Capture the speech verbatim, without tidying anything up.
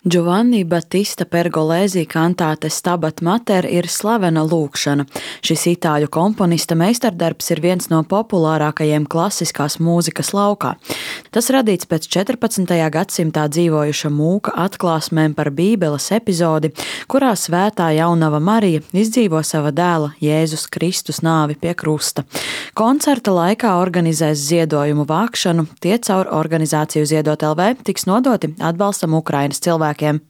Giovanni Battista Pergolesi kantāte Stabat Mater ir slavena lūgšana. Šis itāļu komponista meistardarbs ir viens no populārākajiem klasiskās mūzikas laukā. Tas radīts pēc četrpadsmitajā gadsimtā dzīvojuša mūka atklāsmēm par Bībeles epizodi, kurā svētā jaunava Marija izdzīvo sava dēla Jēzus Kristus nāvi pie krusta. Koncerta laikā organizēs ziedojumu vākšanu, tie caur organizāciju Ziedot L V tiks nodoti atbalstam Ukrainas cilvēkiem.